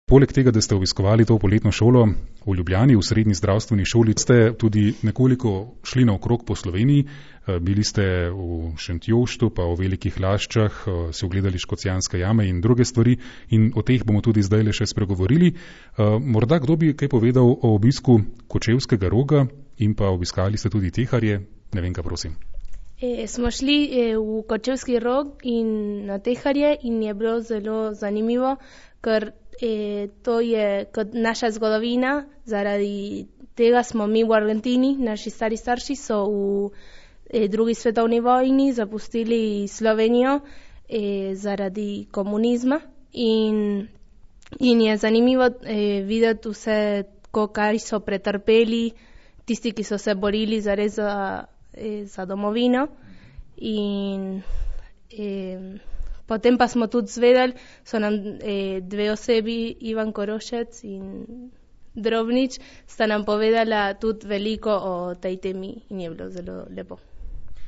Poleg tega, da ste obiskovali to poletno šolo v Ljubljani, v srednji zdravstveni šoli, ste tudi nekoliko šli naokrog po Sloveniji. Bili ste v Šentjoštu, pa v Velikih Laščah, si ogledali Škocjanske jame in druge stvari in o teh bomo tudi zdaj le še spregovorili. Morda kdo bi kaj povedal o obisku Kočevskega Roga in pa obiskali ste tudi Teharje? Nevenka, prosim. Smo šli v Kočevski Rog in na Teharje in je bilo zelo zanimivo, ker to je kot naša zgodovina, zaradi tega smo mi v Argentini, naši stari starši so v drugi svetovni vojni zapustili Slovenijo zaradi komunizma in je zanimivo videti vse, kaj so pretrpeli tisti, ki so se borili zares za domovino in potem pa smo tudi zvedeli, so nam dve osebi, Ivan Korošec in Drobnič, sta nam povedala tudi veliko o tej temi in je bilo zelo lepo.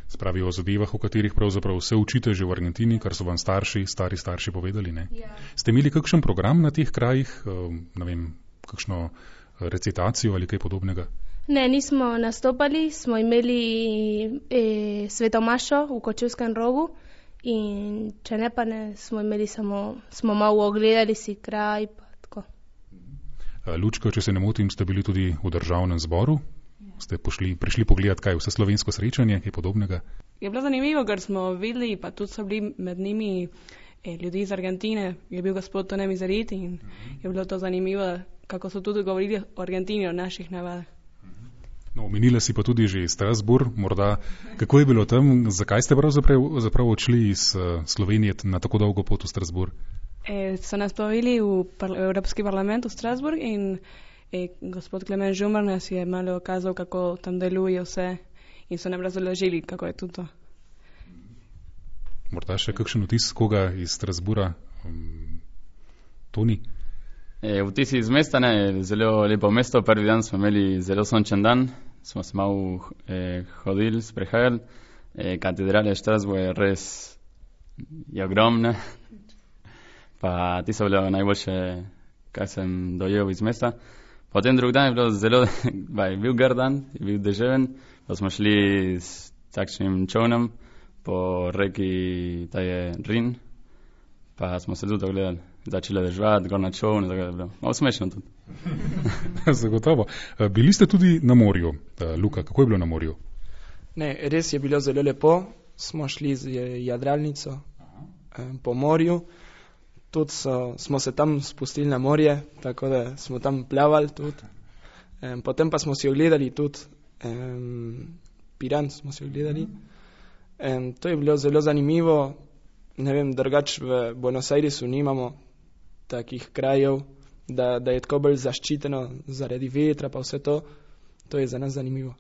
Spravi o zadevah, o katerih pravzaprav vse učite že v Argentini, kar so vam stari starši povedali, ne? Ja. Ste imeli kakšen program na teh krajih, ne vem, kakšno recitacijo ali kaj podobnega? Ne, nismo nastopali, smo imeli svetomašo v Kočevskem Rogu in če ne pa ne, smo malo ogledali si kraj pa tako. Lučka, če se ne motim, ste bili tudi v državnem zboru? Ste prišli pogledati kaj, vse slovensko srečanje, kaj podobnega? Je bilo zanimivo, ker smo videli, pa tudi so bili med njimi ljudi iz Argentine, je bil gospod Tone Mizerit in je bilo to zanimivo, kako so tudi govorili o Argentini, o naših navadah. No, omenila si pa tudi že Strasbourg, morda, kako je bilo tam, zakaj ste pravzaprav odšli iz Slovenije na tako dolgo pot v Strasbourg? So nas poveli v Evropski parlament v Strasbourg in gospod Klemen Žumar nas je malo kazal, kako tam deluje vse in so nam razložili, kako je tudi to. Morda še kakšen vtis koga iz Strasbourga? Toni? Vtisi iz mesta, ne, zelo lepo mesto. Prvi dan smo imeli zelo sončen dan, smo se malo hodili, sprehajali. Katedrala Strasbourg je res ogromna. Pa ti so bile najboljše, kaj sem dojel iz mesta. Potem drugi dan je bilo zelo, je bil grd dan, je bil deževen, pa smo šli s takšnim čovnom po reki, ta je Rin, pa smo se tudi ogledali. Začela deževati, gor na čovnu, tako da je bilo malo smešno tudi. Zagotovo. Bili ste tudi na morju. Luka, kako je bilo na morju? Ne, res je bilo zelo lepo. Smo šli z jadralnico po morju. Tudi smo se tam spustili na morje, tako da smo tam plavali tudi. Potem pa smo si ogledali tudi Piran, smo si ogledali. To je bilo zelo zanimivo. Ne vem, drugač v Buenos Airesu nimamo takih krajev, da je tako bolj zaščiteno zaradi vetra pa vse to. To je za nas zanimivo.